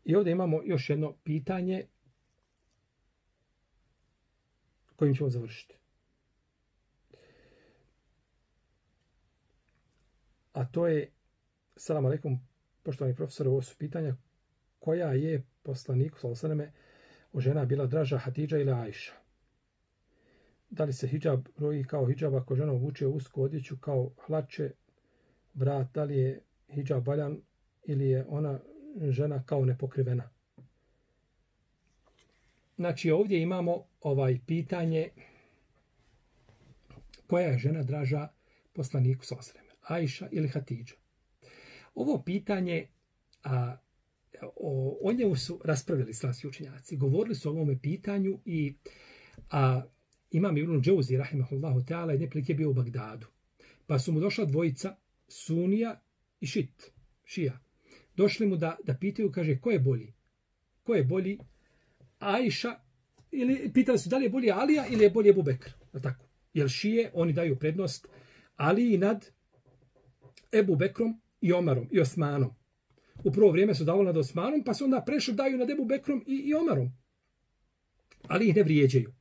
I ovdje imamo još jedno pitanje kojim ćemo završiti. A to je, selam alejkum, poštovani profesor, ovo su pitanja koja je poslaniku sallallahu alejhi ve selleme od žena bila draža, Hatidža ili Ajša? Da li se hidžab broji kao hidžab ako žena obuče usku odjeću kao hlače, vrat, da li je hidžab valjan ili je ona žena kao nepokrivena? Znači ovdje imamo pitanje koja je žena draža poslaniku sallallahu alejhi ve selleme, Ajša ili Hatidža. Ovo pitanje o njemu su raspravili islamski učenjaci. Govorili su o ovome pitanju i Imam Ibn Džauzi rahimehullahu ta'ala jedne prilike bio u Bagdadu. Pa su mu došla dvojica Sunija i Šija. Došli mu da pitaju, kaže, ko je bolji? Ko je bolji? Ajša, ili pitali su da li je bolji Alija ili je bolji Ebu Bekr. Tako. Jer Šije, oni daju prednost Aliji nad Ebu Bekrom i Omarom i Osmanom. U prvo vrijeme su davali nad Osmanom, pa su onda prešli daju nad Ebu Bekrom i Omarom. Ali ih ne vrijeđaju.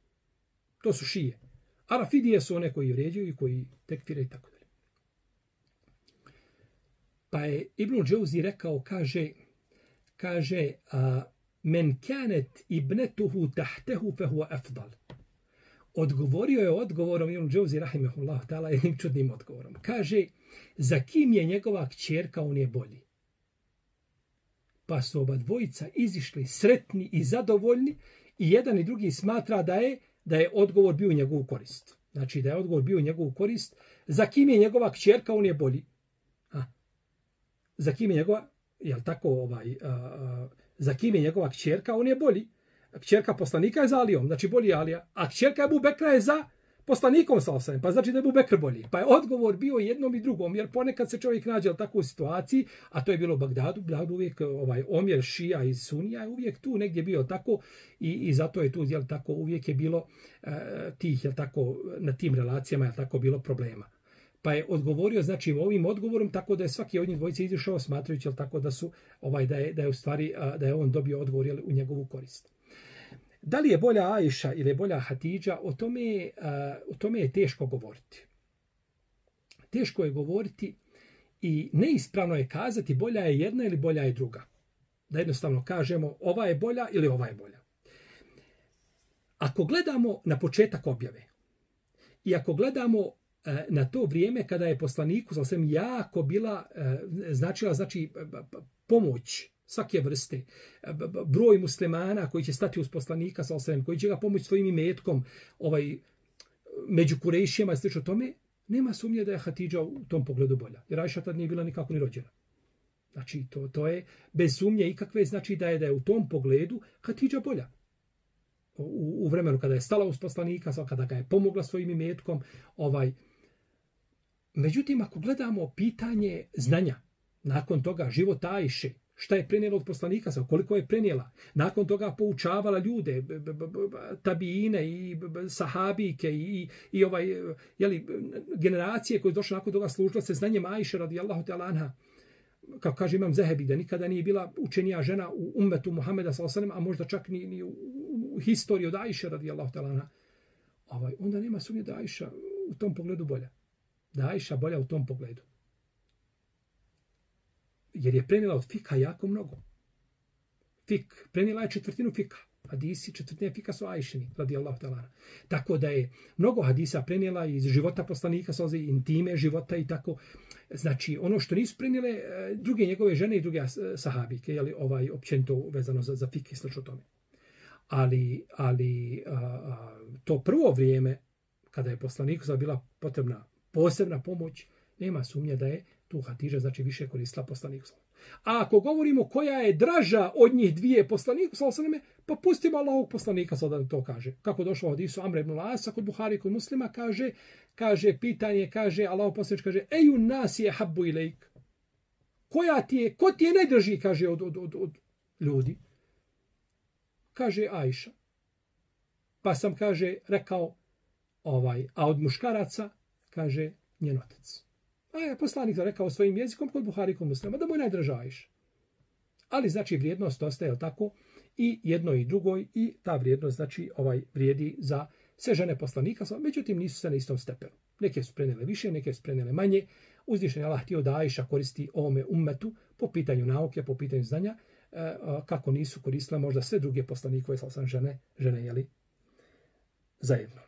To su Šije. A Rafidije su one koji vrijeđaju i koji tekfire i tako dalje. Pa je Ibn Džauzi rekao, kaže men kanet ibnetuhu tahtehu fehuwa afdal. Odgovorio je odgovorom Ibn Džauzi rahimehullah ta'ala jednim čudnim odgovorom. Kaže, za kim je njegova kćerka, on je bolji. Pa su oba dvojica izišli sretni i zadovoljni i jedan i drugi smatra da je odgovor bio u njegovu korist. Znači da je odgovor bio u njegovu korist. Za kim je njegova kćerka, on je bolji. Za kim je njegova, jel tako, za kim je njegova kćerka, on je bolji. Kćerka poslanika je za Alijom, znači bolji Alija. A kćerka Ebu Bekra je za poslanikom sallallahu alejhi ve sellem, pa znači da je Ebu Bekr bolji. Pa je odgovor bio jednom i drugom, jer ponekad se čovjek nađe u takvoj situaciji, a to je bilo u Bagdadu, uvijek omjer Šija i Sunija je uvijek tu negdje bio tako i zato je tu, jel tako, uvijek je bilo tih, jel tako, na tim relacijama je tako bilo problema. Pa je odgovorio, znači, ovim odgovorom, tako da je svaki od njih dvojice izišao smatrajući, jel tako, da su, da je u stvari, da je on dobio odgovor, jel, u njegovu korist. Da li je bolja Ajša ili je bolja Hatidža, o tome je teško govoriti. Teško je govoriti i neispravno je kazati bolja je jedna ili bolja je druga. Da jednostavno kažemo ova je bolja ili ova je bolja. Ako gledamo na početak objave i ako gledamo na to vrijeme kada je poslaniku sallallahu jako bila značila pomoć svake vrste, broj muslimana koji će stati uz poslanika sallallahu koji će ga pomoći svojim imetkom, među Kurejšijama i slično tome, nema sumnje da je Hatidža u tom pogledu bolja. Jer Ajša tad nije bila nikako ni rođena. Znači to je bez sumnje ikakve, znači da je u tom pogledu Hatidža bolja. U vremenu kada je stala uz poslanika, kada ga je pomogla svojim imetkom, Međutim, ako gledamo pitanje znanja, nakon toga života Ajše, šta je prenijela od poslanika, koliko je prenijela, nakon toga poučavala ljude, tabijine i sahabike i generacije koje došle nakon toga služila se znanjem Ajše radijallahu ta'ala anha. Kao kaže Imam Zehebi, da nikada nije bila učenija žena u ummetu Muhameda sallallahu alejhi ve sellem, a možda čak ni u historiji od Ajše radijallahu ta'ala anha. Onda nema sumnje da Ajša u tom pogledu bolja. Da Ajša bolja u tom pogledu. Jer je prenijela od fika jako mnogo. Prenijela je četvrtinu fika. Hadisi četvrtine fika su Ajšini, radijallahu ta'ala. Tako da je mnogo hadisa prenijela iz života poslanika, intime života i tako. Znači, ono što nisu prenijele druge njegove žene i druge sahabike, jeli, općenito vezano za fik i slično tome. Ali to prvo vrijeme, kada je poslaniku bila potrebna posebna pomoć, nema sumnje da je tu Hatidža znači više koristila poslaniku. A ako govorimo koja je draža od njih dvije poslaniku, pa pustimo Allahovog poslanika sada da to kaže. Kako došlo od hadisu Amra ibn Asa kod Buhari i kod Muslima, kaže pitanje, kaže Allahov poslanik kaže eju nas je habbu ilejk. Ko ti je najdraži, kaže od ljudi? Kaže Ajša. Pa sam, kaže, rekao a od muškaraca, kaže njen otac. A je poslanik rekao svojim jezikom kod Buhari kod Muslima da mu je najdraža Ajša. Ali znači vrijednost ostaje tako i jednoj i drugoj i ta vrijednost znači vrijedi za sve žene poslanika, međutim nisu se na istom stepenu. Neke su prenijele više, neke su prenijele manje. Uzvišeni Allah htio da Ajša koristi ovome ummetu po pitanju nauke, po pitanju znanja, kako nisu koristile možda sve druge poslanikove žene jeli, zajedno.